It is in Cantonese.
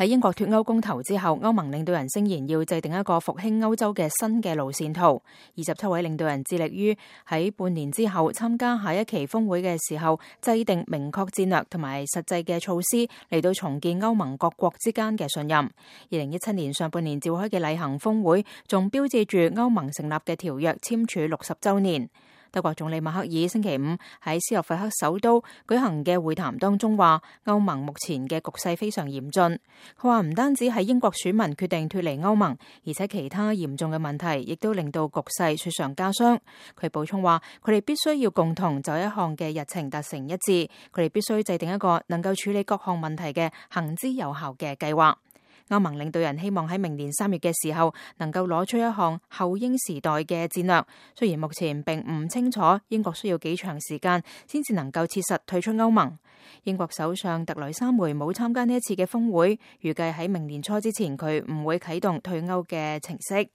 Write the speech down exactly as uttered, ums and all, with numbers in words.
喺英國脫歐公投之後，歐盟領導人聲言要制定一個復興歐洲嘅新嘅路線圖。二十七位領導人致力於喺半年之後參加下一期峰會嘅時候，制定明確戰略同埋實際嘅措施嚟到重建歐盟各國之間嘅信任。二零一七年上半年召開嘅例行峰會，仲標誌住歐盟成立嘅條約簽署六十週年。德國總理默克爾星期五喺斯洛伐克首都舉行嘅會談當中話，歐盟目前嘅局勢非常嚴峻。佢話唔單止係英國選民決定脫離歐盟，而且其他嚴重嘅問題亦都令到局勢雪上加霜。佢補充話，佢哋必須要共同就一項嘅日程達成一致，佢哋必須制定一個能夠處理各項問題嘅行之有效嘅計劃。歐盟領導人希望喺明年三月嘅時候能夠攞出一項後英時代嘅戰略，雖然目前並唔清楚英國需要幾長時間先至能夠切實退出歐盟。英國首相特蕾莎梅冇參加呢一次嘅峰會，預計喺明年初之前佢唔會啟動退歐嘅程式。